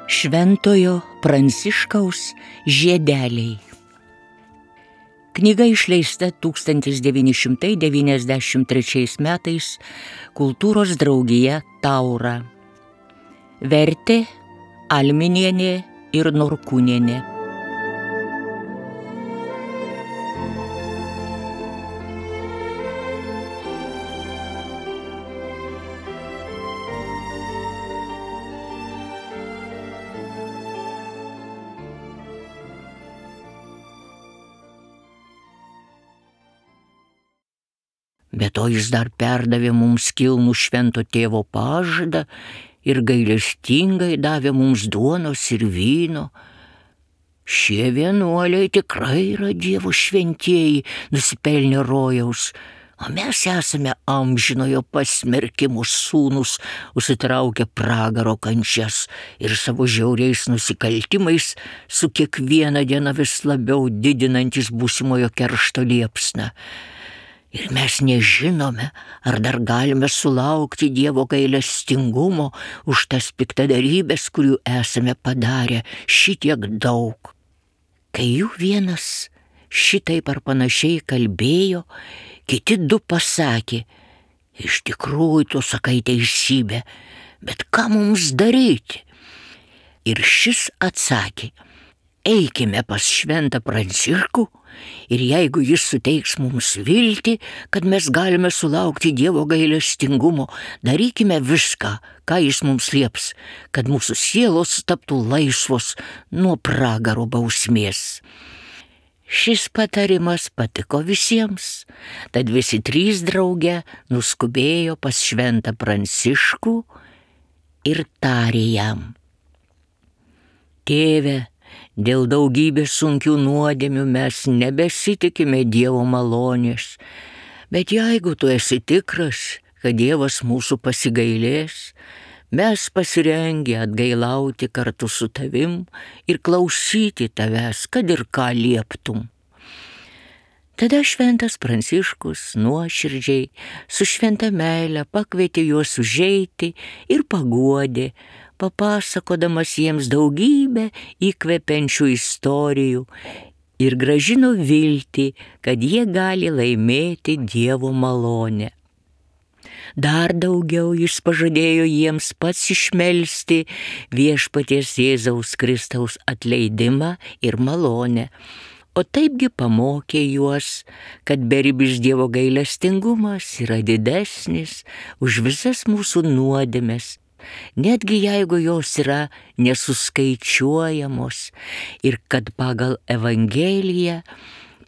Šventojo Pranciškaus žiedeliai. Knyga išleista 1993 metais Kultūros draugija Taura. Vertė Alminienė ir Norkūnienė. Be to jis dar perdavė mums kilnų švento tėvo pažadą ir gailestingai davė mums duonos ir vyno. Šie vienuoliai tikrai yra Dievo šventieji, nusipelnę rojaus, o mes esame amžinojo pasmerkimo sūnus, užsitraukę pragaro kančias ir savo žiauriais nusikaltimais su kiekviena diena vis labiau didinantis būsimojo keršto liepsną. Ir mes nežinome, ar dar galime sulaukti Dievo gailestingumo už tas piktadarybės, kurių esame padarę šitiek daug. Kai jų vienas šitaip ar panašiai kalbėjo, kiti du pasakė: iš tikrųjų tu sakai teisybę, bet ką mums daryti? Ir šis atsakė: eikime pas šventą Pranciškų ir jeigu jis suteiks mums viltį, kad mes galime sulaukti Dievo gailestingumo, darykime viską, ką jis mums lieps, kad mūsų sielos taptų laisvos nuo pragaro bausmės. Šis patarimas patiko visiems, tad visi trys drauge nuskubėjo pas šventą Pranciškų ir tarė jam: tėve, dėl daugybės sunkių nuodėmių mes nebesitikime Dievo malonės, bet jeigu tu esi tikras, kad Dievas mūsų pasigailės, mes pasirengę atgailauti kartu su tavim ir klausyti tavęs, kad ir ką lieptum. Tada šventas Pranciškus nuoširdžiai su šventa meile pakvietė juos užeiti ir paguodė, papasakodamas jiems daugybę įkvepiančių istorijų ir grąžino viltį, kad jie gali laimėti Dievo malonę. Dar daugiau jis pažadėjo jiems pats išmelsti viešpaties Jėzaus Kristaus atleidimą ir malonę, o taipgi pamokė juos, kad beribis Dievo gailestingumas yra didesnis už visas mūsų nuodėmes, netgi jeigu jos yra nesuskaičiuojamos, ir kad pagal Evangeliją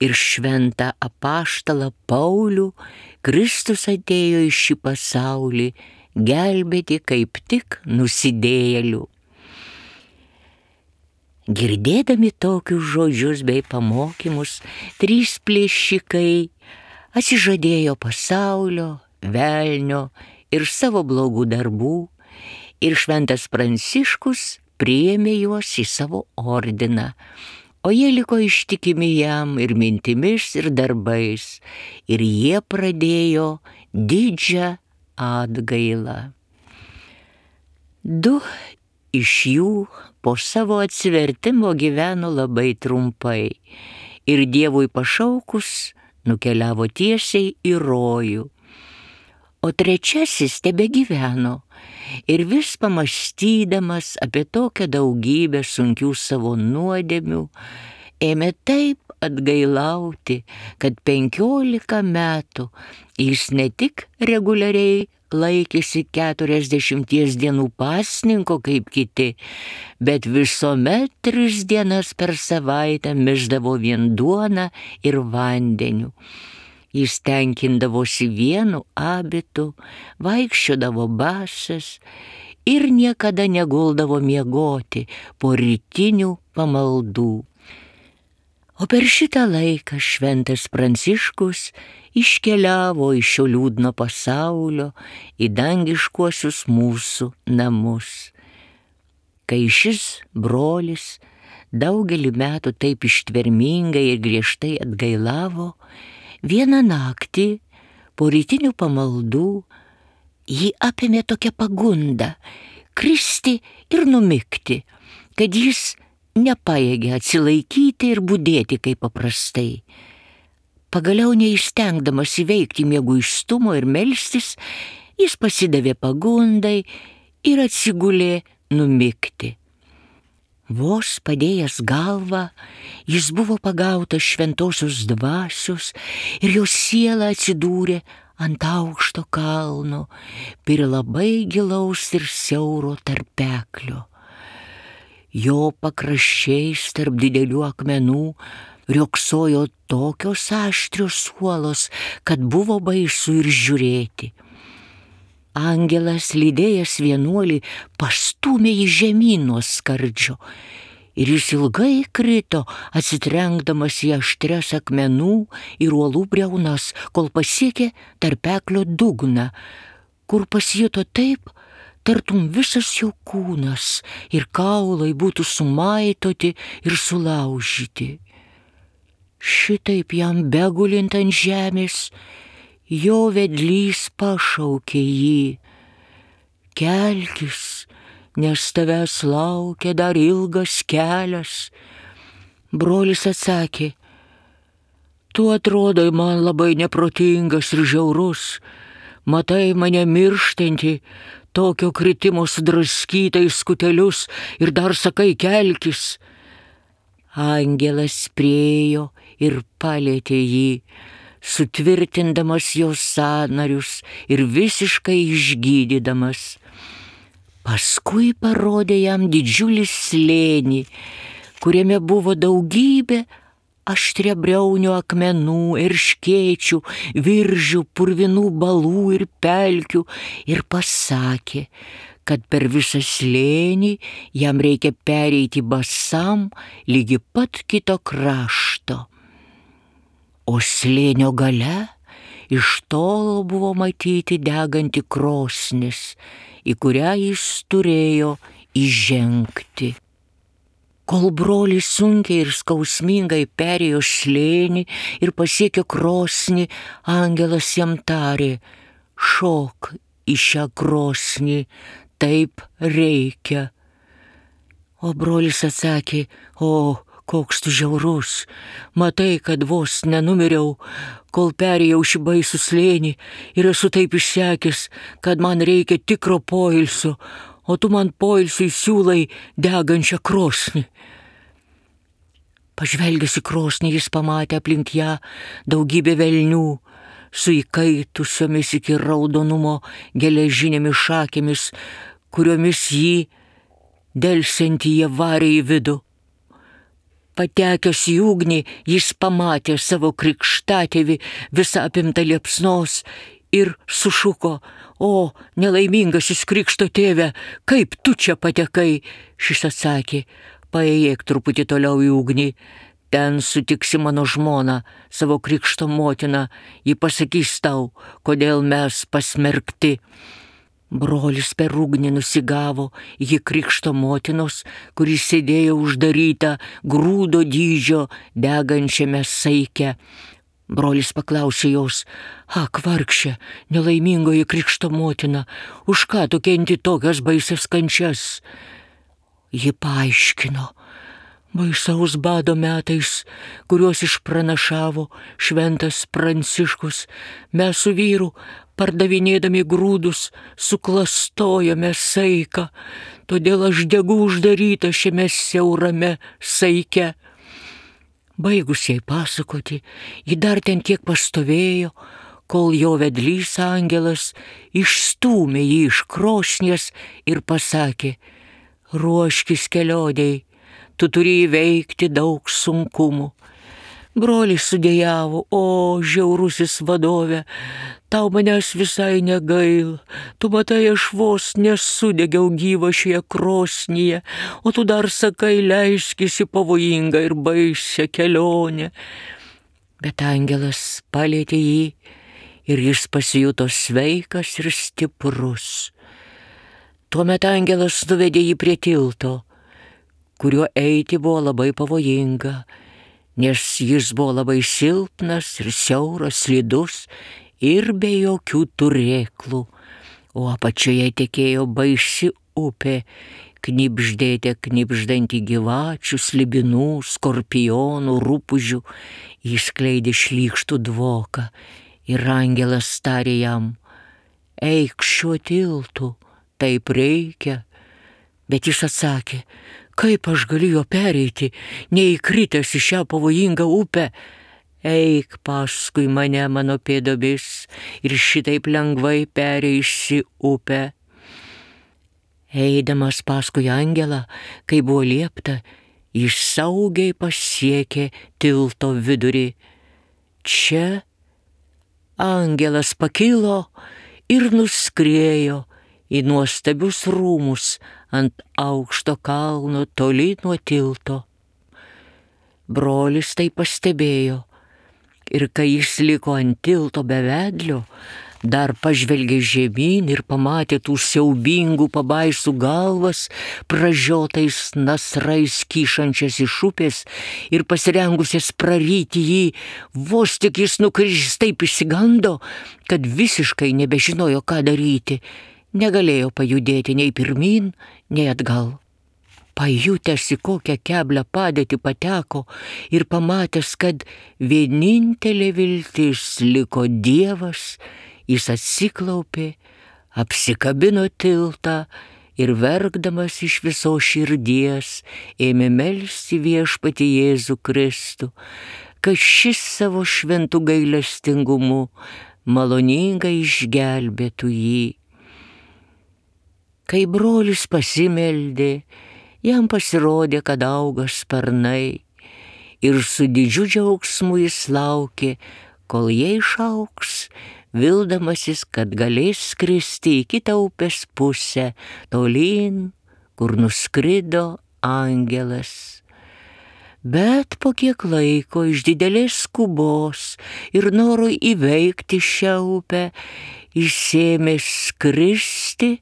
ir šventą apaštalą Paulių Kristus atėjo į šį pasaulį gelbėti kaip tik nusidėjėlių. Girdėdami tokius žodžius bei pamokymus, trys plėšikai atsižadėjo pasaulio, velnio ir savo blogų darbų, ir šventas Pranciškus priėmė juos į savo ordiną, o jie liko ištikimi jam ir mintimis, ir darbais, ir jie pradėjo didžią atgailą. Du iš jų po savo atsivertimo gyveno labai trumpai ir Dievui pašaukus nukeliavo tiesiai į rojų, o trečiasis tebegyveno ir vis pamąstydamas apie tokią daugybę sunkių savo nuodėmių, ėmė taip atgailauti, kad 15 metų jis ne tik reguliariai laikėsi 40 dienų pasninko kaip kiti, bet visuomet 3 dienas per savaitę mišdavo vien duoną ir vandeniu. Jis tenkindavosi vienu abitu, vaikščiodavo basas ir niekada neguldavo miegoti po rytinių pamaldų. O per šitą laiką šventas Pranciškus iškeliavo iš šio liūdno pasaulio į dangiškuosius mūsų namus. Kai šis brolis daugelį metų taip ištvermingai ir griežtai atgailavo, vieną naktį Po rytinių pamaldų jį apėmė tokia pagunda kristi ir numigti, kad jis nepajėgė atsilaikyti ir budėti kaip paprastai. Pagaliau neįstengdamas įveikti mieguistumo ir melstis, jis pasidavė pagundai ir atsigulė numigti. Vos padėjęs galvą, jis buvo pagautas šventosios dvasios ir jo siela atsidūrė ant aukšto kalno, prie labai gilaus ir siauro tarpeklio. Jo pakraščiais tarp didelių akmenų riogsojo tokios aštrios uolos, kad buvo baisu ir žiūrėti. Angelas, lydėjęs vienuolį, pastūmė jį žemyn nuo skardžio ir jis ilgai krito, atsitrenkdamas į aštrias akmenų ir uolų briaunas, kol pasiekė tarpeklio dugną, kur pasijuto taip, tartum visas jo kūnas ir kaulai būtų sumaitoti ir sulaužyti. Šitaip jam begulint ant žemės, jo vedlys pašaukė jį: kelkis, nes tavęs laukia dar ilgas kelias. Brolis atsakė: tu atrodai man labai neprotingas ir žiaurus, matai mane mirštantį, tokio kritimo sudraskytais skutelius ir dar sakai kelkis. Angelas priėjo ir palietė jį, sutvirtindamas jo sąnarius ir visiškai išgydydamas. Paskui parodė jam didžiulį slėnį, kuriame buvo daugybė aštriabriaunių akmenų, erškėčių, viržių, purvinų balų ir pelkių, ir pasakė, kad per visą slėnį jam reikia pereiti basam lygi pat kito krašto. O slėnio gale iš tolo buvo matyti deganti krosnis, į kurią jis turėjo įžengti. Kol brolis sunkiai ir skausmingai perėjo slėnį ir pasiekė krosnį, angelas jam tarė: šok į šią krosnį, taip reikia. O brolis atsakė: o, koks tu žiaurus, matai, kad vos nenumiriau, kol perėjau šį baisų slėnį ir esu taip išsekęs, kad man reikia tikro poilsio, o tu man poilsiui siūlai degančią krosnį. Pažvelgęs į krosnį, jis pamatė aplink ją daugybę velnių su įkaitusiomis iki raudonumo geležinėmis šakėmis, kuriomis jį delsiantį jie varė į vidų. Patekęs į ugnį, jis pamatė savo krikštatėvį visą apimtą liepsnos ir sušuko: o, nelaimingasis krikšto tėve, kaip tu čia patekai? Šis atsakė: paėjėk truputį toliau į ugnį, ten sutiksi mano žmoną, savo krikšto motiną, ji pasakys tau, kodėl mes pasmerkti. Brolis per ugnį nusigavo iki krikšto motinos, kuri sėdėjo uždaryta grūdo dydžio degančiame saike. Brolis paklausė jos: ak, vargšė, nelaimingoji krikšto motina, už ką tu kenti tokias baisias kančias? Ji paaiškino: baisaus bado metais, kuriuos išpranašavo šventas Pranciškus, mes su vyru, pardavinėdami grūdus, suklastojome saiką, todėl aš degu uždaryta šiame siaurame saike. Baigus jai pasakoti, ji dar ten kiek pastovėjo, kol jo vedlys angelas išstūmė jį iš krosnies ir pasakė: ruoškis kelionei, tu turi įveikti daug sunkumų. Brolis sudejavo: o, žiaurusis vadove, tau manęs visai negaila, tu matai, aš vos nesudegiau gyva šioje krosnyje, o tu dar sakai, leiskis į pavojingą ir baisią kelionę. Bet angelas palietė jį ir jis pasijuto sveikas ir stiprus. Tuomet angelas nuvedė jį prie tilto, kuriuo eiti buvo labai pavojinga, nes jis buvo labai silpnas ir siauras, slidus ir be jokių turėklų, o apačioje tekėjo baisi upė, knibždėte knibždantį gyvačių, slibinų, skorpionų, rupūžių, jis skleidė šlykštų dvoką ir angelas tarė jam: eik šiuo tiltu, taip reikia. Bet jis atsakė: kaip aš galiu jo pereiti, neįkritęs į šią pavojingą upę? Eik paskui mane mano pėdomis ir šitaip lengvai pereisi upę. Eidamas paskui angelą, kai buvo liepta, jis saugiai pasiekė tilto vidurį. Čia angelas pakilo ir nuskriejo į nuostabius rūmus ant aukšto kalno toli nuo tilto. Brolis tai pastebėjo ir kai jis liko ant tilto be vedlio, dar pažvelgė žemyn ir pamatė tų siaubingų pabaisų galvas, pražiotais nasrais kyšančias iš upės ir pasirengusias praryti jį, vos tik jis nukris, taip išsigando, kad visiškai nebežinojo, ką daryti, negalėjo pajudėti nei pirmyn, nei atgal. Pajutęs, į kokią keblią padėtį pateko ir pamatęs, kad vienintelė viltis liko Dievas, jis atsiklaupė, apsikabino tiltą ir verkdamas iš visos širdies ėmė melsti Viešpatį Jėzų Kristų, kad šis savo šventu gailestingumu maloningai išgelbėtų jį. Kai brolis pasimeldė, jam pasirodė, kad auga sparnai ir su didžiu džiaugsmu jis laukė, kol jie išaugs, vildamasis, kad galės skristi į kitą upės pusę, tolyn, kur nuskrido angelas. Bet po kiek laiko iš didelės skubos ir noro įveikti šią upę, jis ėmė skristi,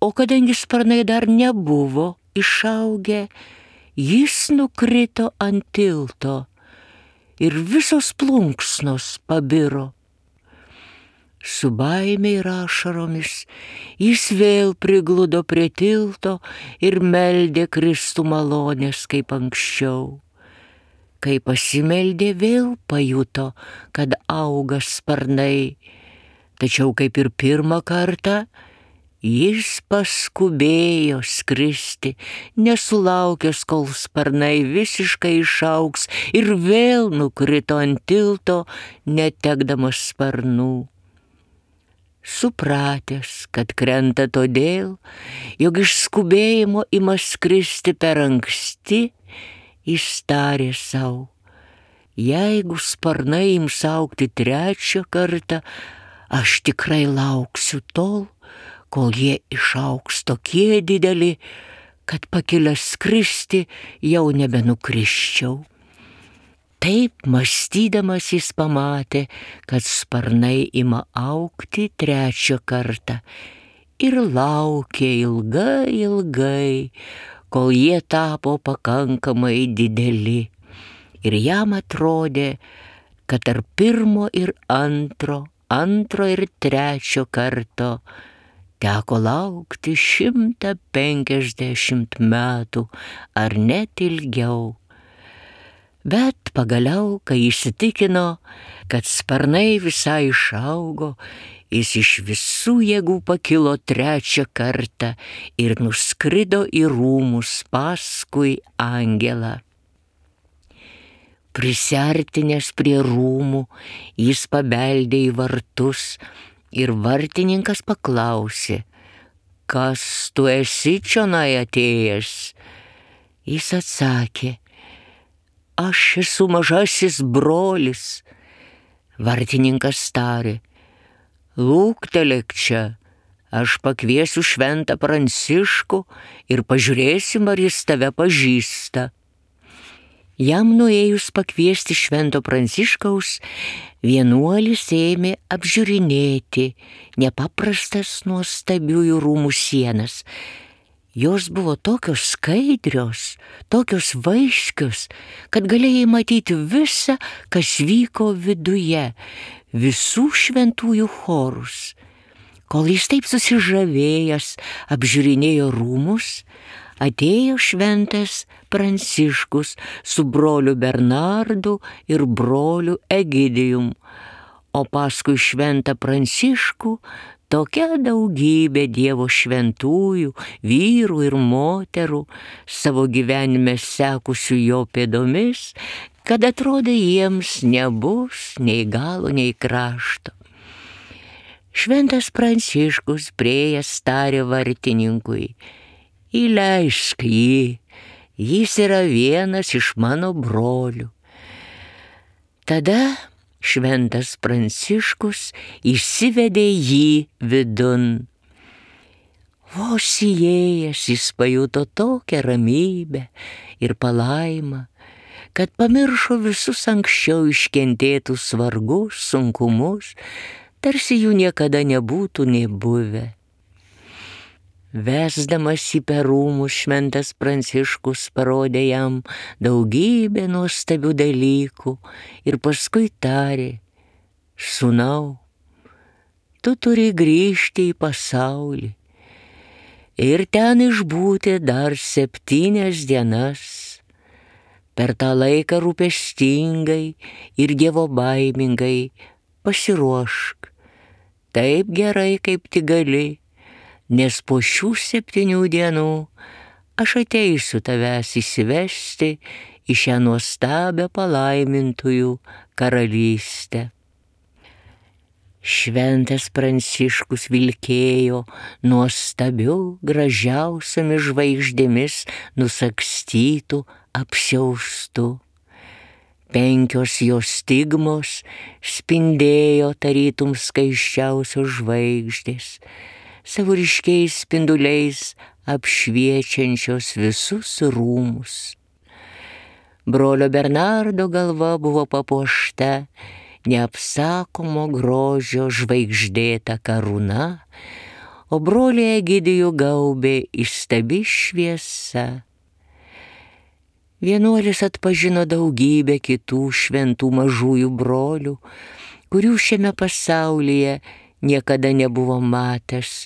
o kadangi sparnai dar nebuvo išaugę, jis nukrito ant tilto ir visos plunksnos pabiro. Su baime ir ašaromis jis vėl prigludo prie tilto ir meldė Kristų malonės kaip anksčiau. Kai pasimeldė, vėl pajuto, kad auga sparnai, tačiau kaip ir pirmą kartą, jis paskubėjo skristi, nesulaukęs, kol sparnai visiškai išaugs, ir vėl nukrito ant tilto, netekdamas sparnų. Supratęs, kad krenta todėl, jog iš skubėjimo ima skristi per anksti, jis tarė sau: jeigu sparnai ims augti trečią kartą, aš tikrai lauksiu tol, kol jie išaugs tokie dideli, kad pakilęs skristi jau nebenukrisčiau. Taip mąstydamas jis pamatė, kad sparnai ima augti trečią kartą ir laukė ilgai, kol jie tapo pakankamai dideli. Ir jam atrodė, kad tarp pirmo ir antro ir trečio karto teko laukti 150 metų ar net ilgiau. Bet pagaliau, kai įsitikino, kad sparnai visai išaugo, jis iš visų jėgų pakilo trečią kartą ir nuskrido į rūmus paskui angelą. Prisiartinęs prie rūmų, jis pabeldė į vartus ir vartininkas paklausė: kas tu esi čionai atėjęs? Jis atsakė: aš esu mažasis brolis. Vartininkas tarė: lūktelėk čia, aš pakviesiu šventą Pranciškų ir pažiūrėsim, ar jis tave pažįsta. Jam nuėjus pakviesti švento Pranciškaus, vienuolis ėmė apžiūrinėti nepaprastas nuostabiųjų rūmų sienas. Jos buvo tokios skaidrios, tokios vaiskios, kad galėjai matyti visą, kas vyko viduje. visų šventųjų chorus. Kol jis taip susižavėjęs apžiūrinėjo rūmus, atėjo šventas Pranciškus su broliu Bernardu ir broliu Egidijum, o paskui šventą Pranciškų tokia daugybė Dievo šventųjų, vyrų ir moterų, savo gyvenime sekusių jo pėdomis, kad atrodė jiems nebus nei galo, nei krašto. Šventas Pranciškus priėjęs tarė vartininkui: įleisk jį, jis yra vienas iš mano brolių. Tada šventas Pranciškus įsivedė jį vidun. Vos įėjęs jis pajuto tokią ramybę ir palaimą, kad pamiršo visus anksčiau iškentėtus vargus, sunkumus, tarsi jų niekada nebūtų nė buvę. Vesdamas jį per rūmus, šventas Pranciškus parodė jam daugybę nuostabių dalykų ir paskui tarė: sūnau, tu turi grįžti į pasaulį ir ten išbūti dar 7 dienas. Per tą laiką rūpestingai ir dievobaimingai pasiruošk taip gerai, kaip tik gali, nes po šių 7 dienų aš ateisiu tavęs įsivesti į šią nuostabią palaimintųjų karalystę. Šventas Pranciškus vilkėjo nuostabiu, gražiausiamis žvaigždėmis nusagstytų apsiaustu. 5 jo stigmos spindėjo tarytum skaisčiausios žvaigždės, savo ryškiais spinduliais apšviečiančios visus rūmus. Brolio Bernardo galva buvo papuošta neapsakomo grožio žvaigždėta karūna, o brolį Egidijų gaubė įstabi šviesa. Vienuolis atpažino daugybę kitų šventų mažųjų brolių, kurių šiame pasaulyje niekada nebuvo matęs.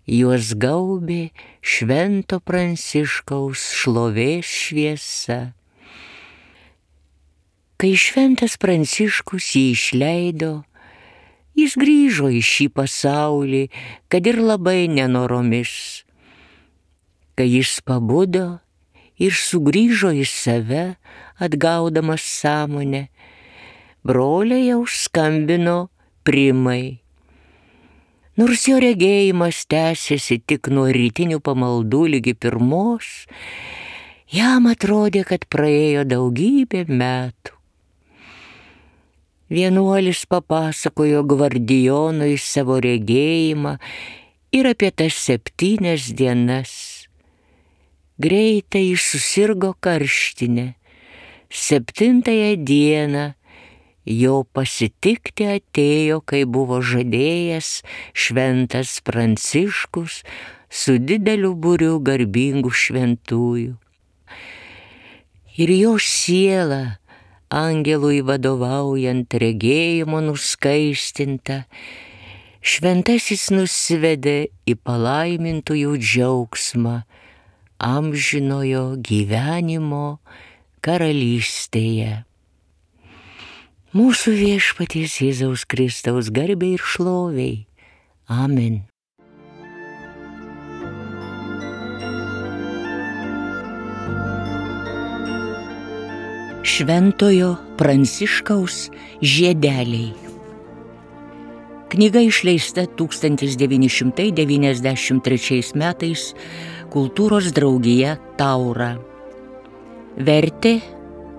Juos gaubė švento Pranciškaus šlovės šviesa. Kai šventas Pranciškus jį išleido, jis grįžo į šį pasaulį, kad ir labai nenoromis. Kai jis pabudo ir sugrįžo į save, atgaudamas sąmonę, broliai jau skambino primai. Nors jo regėjimas tęsėsi tik nuo rytinių pamaldų ligi 1, jam atrodė, kad praėjo daugybė metų. Vienuolis papasakojo gvardijonui savo regėjimą ir apie tas 7 dienas. Greitai jis susirgo karštinę. 7 dieną jo pasitikti atėjo, kai buvo žadėjęs šventas Pranciškus su dideliu būriu garbingų šventųjų. Ir jo siela, angelui vadovaujant regėjimo nuskaistinta, šventasis nusivedė į palaimintųjų džiaugsmą amžinojo gyvenimo karalystėje. Mūsų viešpaties Jėzaus Kristaus garbei ir šloviai. Amen. Šventojo Pranciškaus žiedeliai. Knyga išleista 1993 metais Kultūros draugija Taura. Vertė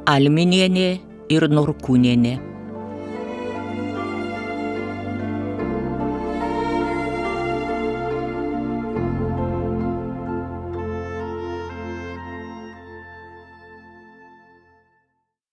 Alminienė ir Norkūnienė.